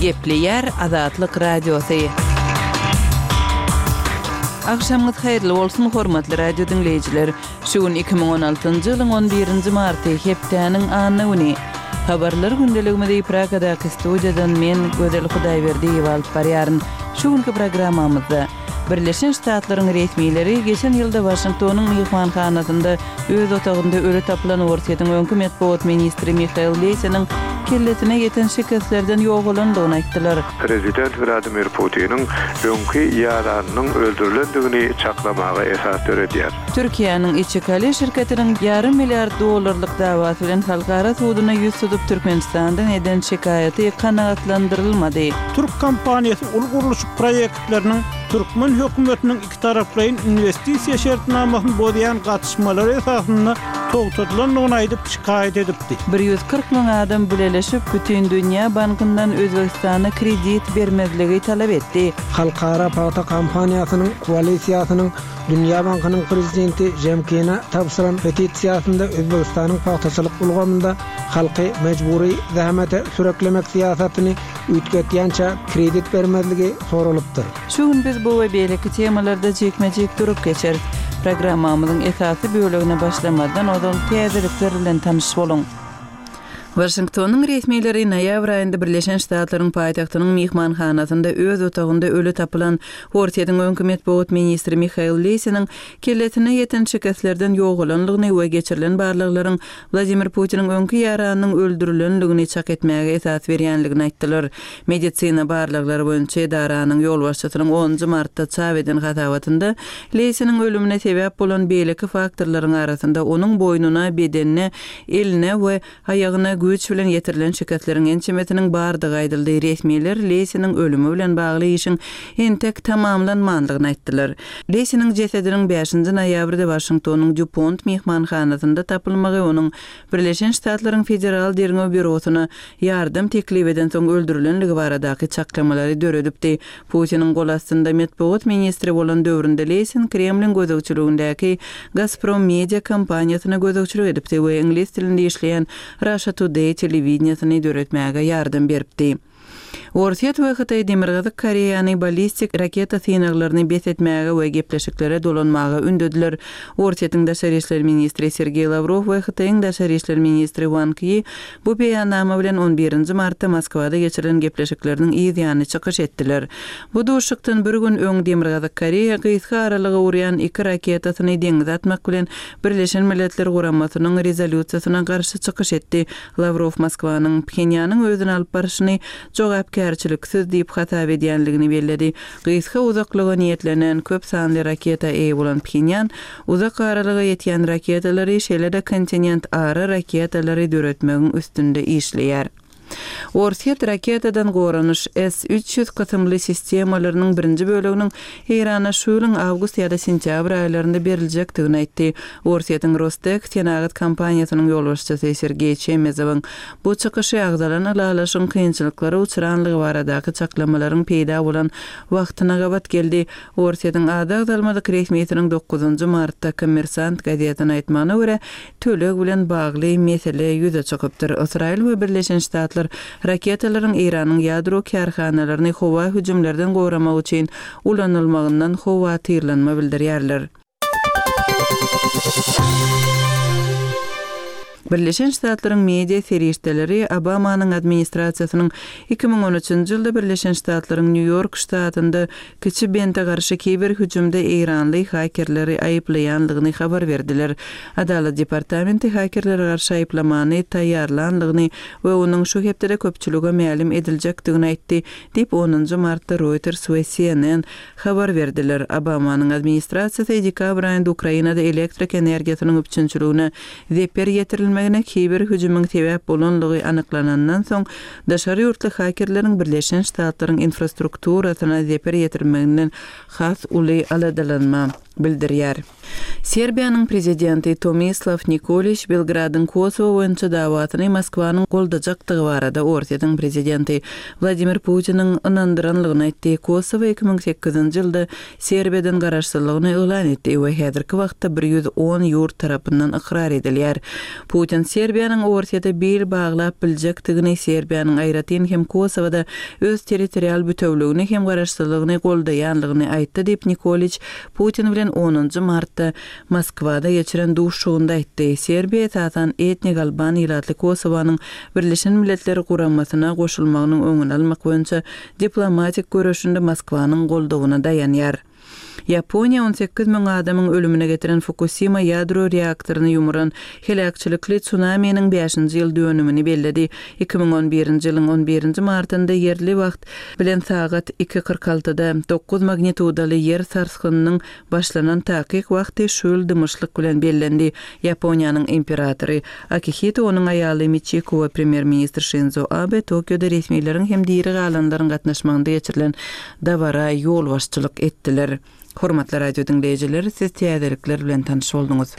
Gepleýär Azatlyk Radiosy. Agşamyňyz haýyrly bolsun, hormatly radio diňleýjiler! Şu gün 2016-njy ýylyň on birinji marty, hepdäniň anna güni. Habarlar gündeligimizi Pragadaky studiýadan men, Gözel Hudaýberdiýewa alyp barýaryn. Şu günki programmamyzda. Birleşen Ştatlaryň resmileri geçen ýylda Waşingtonyň myhmanhanasynda öz otagynda öli tapylan Orsýetiň öňki metbugat ministri Mihail Lesiniň kellesine ýeten şikeslerden ýogalandygyny aýtdylar. Prezident Wladimir Putiniň öňki ýaranynyň öldürilendigini çaklamaga esas döredýär. Türkiýäniň Içikale şirketiniň ýarym milliard dollarlyk dawasy bilen halkara suduna ýüz tutup Türkmenistandan eden şikaýaty kanagatlandyrylmady. Türk kompaniýasy uly gurluşyk proýektleriniň türkmen hökümetiniň ikitaraplaýyn inwestisiýa şertnamasyny bozýan gatyşmalary esasynda togtadylandygyny aýdyp, şikaýat edipdi. 140 müň adam bileleşip, Bütindünýä bankyndan Özbegistana kredit bermezligi talap etdi. Halkara pagta kampaniýasynyň koalisiýasynyň Dünýä bankynyň prezidenti Žemkine tabşyran petisiýasynda Özbegistanyň pagtaçylyk ulgamynda halky mejbury zähmete süreklemek syýasatyny üýtgetýänçä kredit bermezligi soralypdyr. Şu gün biz bu we beýleki temalarda jikme-jik durup geçeris. Programmamyzyň esasy bölegine başlamazdan ozal täzelikler bilen tanyş boluň. Waşingtonyň resmileri noýabr aýynda Birleşen Ştatlaryň paýtagtynyň myhmanhanasynda öz otagynda öli tapylan Orsýetiň öňki metbugat ministri Mihail Lesiniň kellesine ýeten şikeslerden ýogalanlygyny we geçirilen barlaglaryň Wladimir Putiniň öňki ýaranynyň öldürilenligini çak etmäge esas berýänligini aýtdylar. Medisina barlaglary boýunça edaranyň ýolbaşçysynyň onunjy martda çap eden hasabatynda Leýsiniň ölümine sebäp bolan beýleki faktorlaryň arasynda onuň boýnuna, bedenine, eline we aýagyna güýç bilen ýetirilen şikesleriň ençemesiniň bardygy aýdyldy. Resmiler Leýsiniň ölümi bilen bagly işiň entek tamamlanmandygyny aýtdylar. Leýsiniň jesediniň bäşinji noýabrda Waşingtonyň Dýupont myhmanhanasynda tapylmagy onuň Birleşen Ştatlaryň Federal derňew býurosyna ýardam teklip edensoň öldürilenligi baradaky çaklamalary döredipdi. Putiniň gol astynda metbugat ministri bolan döwründe Leýsin Kremliň gözegçiligindäki Gazprom media kompaniýasyna gözegçilik edipdi we iňlis dilinde işleýän Russia Today telewideniýesini döretmäge ýardam beripdi. Orsýet we Hytaý Demirgazyk Koreýany ballistik raketa synaglaryny bes etmäge we gepleşiklere dolanmaga ündediler. Orsýetiň daşary işler ministri Sergeý Lawrow we Hytaýyň daşary işler ministri Wang Ýi bu beýannama bilen on birinji martda Moskwada geçirilen gepleşikleriniň yz ýany çykyş etdiler. Bu duşuşykdan bir gün öň Demirgazyk Koreýa gysga aralyga urýan iki raketasyny deňize atmak bilen Birleşen Milletler Guramasynyň rezolýusiýasyna garşy çykyş etdi. Lawrow Moskwanyň Phenýanyň özüni alyp barşyny jogapkärçiliksiz diýip hasap edýänligini belledi. Gysga uzaklyga niýetlenen köp sanly raketa eýe bolan Phenýan uzak aralyga ýetýän raketalary, şeýle-de kontinentara raketalary döretmegiň üstünde işleýär. Orsýet raketadan goranyş S 300 kysymly sistemalarynyň birinji böleginiň Eýrana şu ýylyň awgust ýa-da sentýabr aýlarynda beriljekdigini aýtdy. Orsýetiň Rostek senagat kompaniýasynyň ýolbaşçysy Sergeý Çemezowyň bu çykyşy agzalan ylalaşygyň kynçylyklara uçranlygy baradaky çaklamalaryň peýda bolan wagtyna gabat geldi. Orsýetiň ady agzalmadyk resmisiniň dokuzynjy martda Kommersant gazetine aýtmagyna görä, töleg bilen bagly mesele ýüze çykypdyr. Ysraýyl we Birleşen Ştatlar raketalaryň Eýranyň ýadro kärhanalaryny howa hüjümlerden goramak üçin ulanylmagyndan howatyrlanma bildirýärler. Birleşen Ştatlaryň media serişdeleri Obamanyň administrasiýasynyň 2013-nji ýylda Birleşen Ştatlaryň Nýu-Ýork ştatynda Kiçi Bente garşy kiber hüjümde eýranly hakerleri aýyplaýandygyny habar berdiler. Adalat departamenti hakerlere garşy aýyplamany taýýarlandygyny we onuň şu hepdede köpçülige mälim ediljekdigini aýtdy, diýip, onunjy martda Reuters we CNN habar berdiler. Obamanyň administrasiýasy dekabr aýynda Ukrainada elektrik energiýasynyň üpjünçiligine zeper ýetirilmegine kiber hüjümiň sebäp bolanlygy anyklanandan soň, daşary ýurtly hakerleriň Birleşen Ştatlaryň infrastrukturasyna zeper ýetirmeginden has uly aladalanma. bildirýär. Serbiýanyň prezidenti Tomislaw Nikoliç Belgradyň Kosowo boýunça dawasyny Moskwanyň goldajakdygy barada Orsýetiň prezidenti Wladimir Putiniň ynandyranlygyny aýtdy. Kosowo 2008-nji ýylda Serbiýadan garaşsyzlygyny yglan etdi we häzirki wagtda 110 ýurt tarapyndan ykrar edilýär. Putin Serbiýanyň Orsýete bil baglap biljekdigini, Serbiýanyň aýratyn hem Kosowada öz territorial bütewligini hem garaşsyzlygyny goldaýanlygyny aýtdy diýip, Nikoliç Putin bilen onunjy martda Moskwada geçiren duşuşygynda aýtdy. Serbiýa esasan etnik alban ilatly Kosowanyň Birleşen Milletler Guramasyna goşulmagynyň öňüni almak boýunça diplomatik göreşinde Moskwanyň goldawyna daýanýar. Ýaponiýa 18 müň adamyň ölümine getiren Fukusima ýadro reaktoryny ýumuran heläkçilikli tsunaminiň bäşinji ýyl dönümini belledi. 2011-nji ýylyň on birinji martynda ýerli wagt bilen sagat iki 46-da dokuz magnitudaly ýer sarsgynynyň başlanan takyk wagty şu ýyl dymyşlyk bilen bellendi. Ýaponiýanyň imperatory Akihito, onuň aýaly Miçiko we premýer-ministr Şinzo Abe Tokioda resmileriň hem diri galanlaryň gatnaşmagynda geçirilen dabara ýolbaşçylyk etdiler. Hormatly radio diňleýjiler, siz täzelikler bilen tanyş bolduňyz.